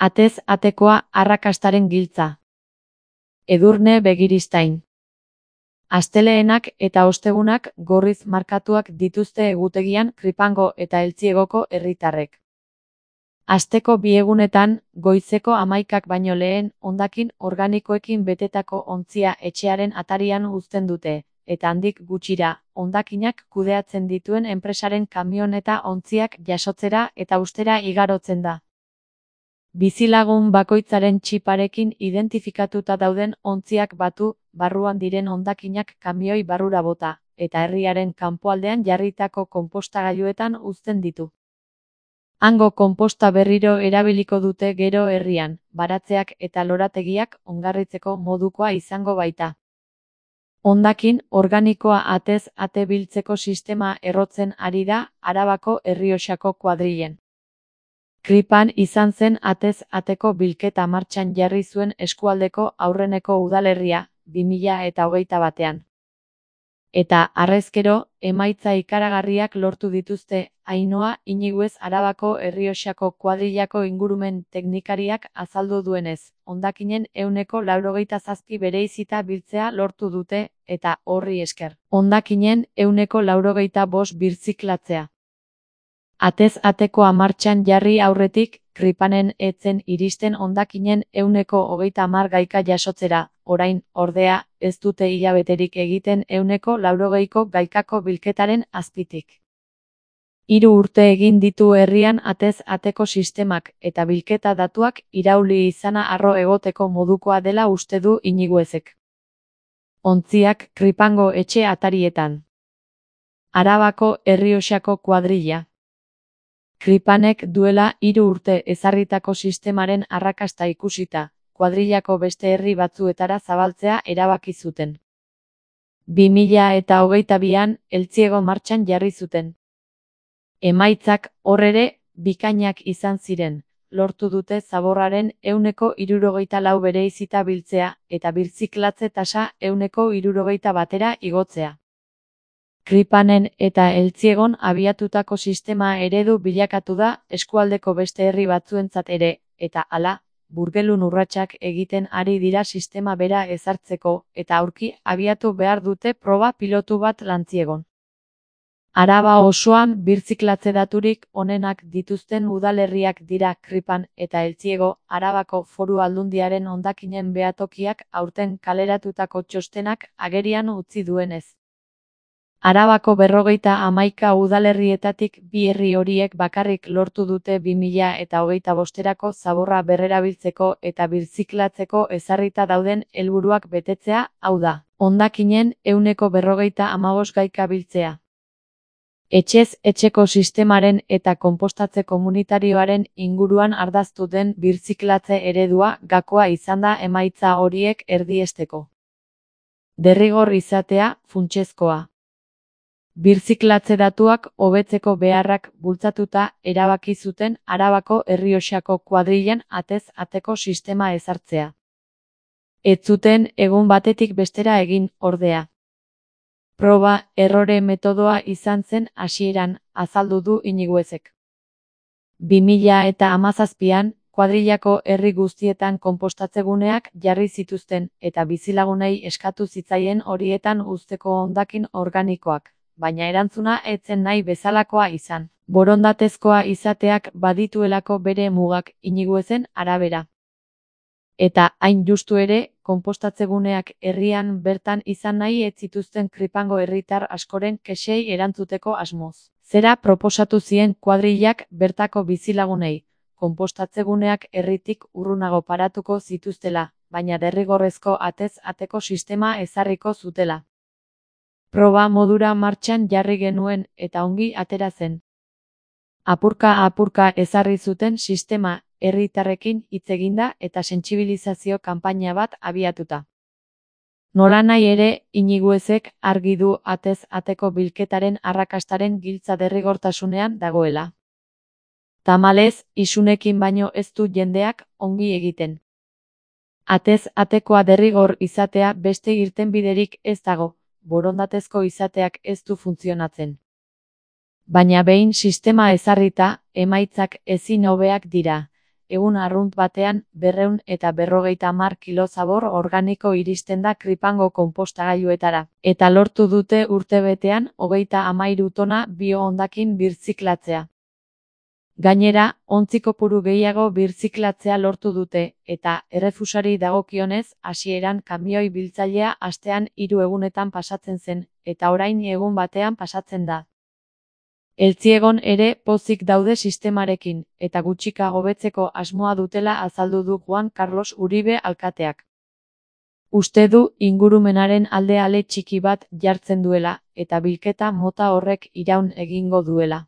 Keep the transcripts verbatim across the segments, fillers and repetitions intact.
Atez atekoa arrakastaren giltza. Edurne Begiristain. Asteleenak eta ostegunak gorriz markatuak dituzte egutegian Kripango eta Eltziegoko herritarrek. Asteko bi egunetan, goizeko hamaikak baino lehen, hondakin organikoekin betetako ontzia etxearen atarian uzten dute, eta handik gutxira, hondakinak kudeatzen dituen enpresaren kamioneta ontziak jasotzera eta ustera igarotzen da. Bizilagun bakoitzaren txiparekin identifikatuta dauden ontziak batu, barruan diren hondakinak kamioi barrura bota, eta herriaren kanpoaldean jarritako konpostagailuetan uzten ditu. Hango konposta berriro erabiliko dute gero herrian, baratzeak eta lorategiak ongarritzeko modukoa izango baita. Hondakin organikoa atez ate biltzeko sistema errotzen ari da Arabako Errioxako kuadrilen. Kripan izan zen atez ateko bilketa martxan jarri zuen eskualdeko aurreneko udalerria, bi mila eta hogeita batean. Eta, harrezkero, emaitza ikaragarriak lortu dituzte, Ainhoa Iñiguez Arabako Errioxako kuadrilako ingurumen teknikariak azaldu duenez, hondakinen ehuneko laurogeita zazpi bereizita biltzea lortu dute, eta horri esker, hondakinen ehuneko laurogeita bost birziklatzea. Atez atekoa martxan jarri aurretik, Kripanen etzen iristen hondakinen ehuneko hogeita hamar gaika jasotzera, orain, ordea, ez dute hilabeterik egiten ehuneko laurogeiko gaikako bilketaren azpitik. Hiru urte egin ditu herrian atez ateko sistemak eta bilketa datuak irauli izana harro egoteko modukoa dela uste du Iñiguezek. Ontziak Kripango etxe atarietan. Arabako Errioxako kuadrilla. Kripanek duela hiru urte ezarritako sistemaren arrakasta ikusita, kuadrillako beste herri batzuetara zabaltzea erabaki zuten. bi mila eta hogeita bian, Eltziego martxan jarri zuten. Emaitzak, hor ere, bikainak izan ziren, lortu dute zaborraren ehuneko hirurogeita lau bereizita biltzea, eta birziklatze tasa ehuneko hirurogeita batera igotzea. Kripanen eta Eltziegon abiatutako sistema eredu bilakatu da eskualdeko beste herri batzuentzat ere, eta hala, burgelun urratsak egiten ari dira sistema bera ezartzeko, eta aurki abiatu behar dute proba pilotu bat Lantziegon. Araba osoan birziklatze daturik onenak dituzten udalerriak dira Kripan eta Eltziego, Arabako Foru Aldundiaren hondakinen behatokiak aurten kaleratutako txostenak agerian utzi duenez. Arabako berrogeita hamaika udalerrietatik bi herri horiek bakarrik lortu dute bi mila eta hogeita bosterako zaborra berrerabiltzeko eta birziklatzeko ezarrita dauden helburuak betetzea, hau da, hondakinen ehuneko berrogeita hamabost gaika biltzea. Etxez etxeko sistemaren eta konpostatze komunitarioaren inguruan ardaztu den birziklatze eredua gakoa izan da emaitza horiek erdiesteko. Derrigor izatea, funtsezkoa. Birziklatze datuak hobetzeko beharrak bultzatuta erabaki zuten Arabako Errioxako kuadrilan atez ateko sistema ezartzea. Ez zuten egun batetik bestera egin, ordea. Proba errore metodoa izan zen hasieran, azaldu du Iñiguezek. bi mila eta hamazazpian, kuadrilako herri guztietan konpostatzeguneak jarri zituzten eta bizilagunei eskatu zitzaien horietan uzteko hondakin organikoak, baina erantzuna ez zen nahi bezalakoa izan, borondatezkoa izateak badituelako bere mugak Iñiguezen arabera. Eta, hain justu ere, konpostatzeguneak herrian bertan izan nahi ez zituzten Kripango herritar askoren kexei erantzuteko asmoz. Zera proposatu zien kuadrillak bertako bizilagunei, konpostatzeguneak herritik urrunago paratuko zituztela, baina derrigorrezko atez ateko sistema ezarriko zutela. Proba modura martxan jarri genuen eta ongi atera zen. Apurka-apurka ezarri zuten sistema, herritarrekin hitz eginda eta sentsibilizazio kanpaina bat abiatuta. Nolanahi ere, Iñiguezek argi du atez ateko bilketaren arrakastaren giltza derrigortasunean dagoela. Tamalez, isunekin baino ez du jendeak ongi egiten. Atez atekoa derrigor izatea beste irtenbiderik ez dago, borondatezko izateak ez du funtzionatzen. Baina behin sistema ezarrita, emaitzak ezin hobeak dira. egun arrunt batean berrehun eta berrogeita hamar kilo zabor organiko iristen da Kripango konpostagailuetara, eta lortu dute urtebetean hogeita hamairu tona bio-hondakin birziklatzea. Gainera, ontzi kopuru gehiago birziklatzea lortu dute, eta errefusari dagokionez, hasieran kamioi biltzailea astean hiru egunetan pasatzen zen, eta orain egun batean pasatzen da. Eltziegon ere pozik daude sistemarekin, eta gutxika hobetzeko asmoa dutela azaldu du Juan Carlos Uribe alkateak. Uste du ingurumenaren alde ale txiki bat jartzen duela, eta bilketa mota horrek iraun egingo duela.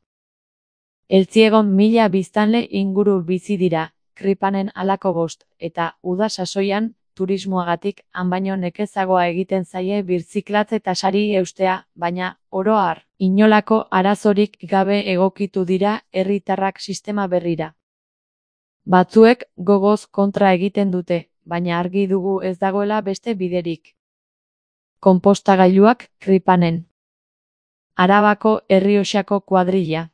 Eltziegon mila biztanle inguru bizi dira, Kripanen halako bost, eta uda sasoian, turismoagatik han baino nekezagoa egiten zaie birziklatze tasari eustea, baina, oro har, inolako arazorik gabe egokitu dira herritarrak sistema berrira. Batzuek gogoz kontra egiten dute, baina argi dugu ez dagoela beste biderik. Konpostagailuak Kripanen. Arabako Errioxako kuadrilla.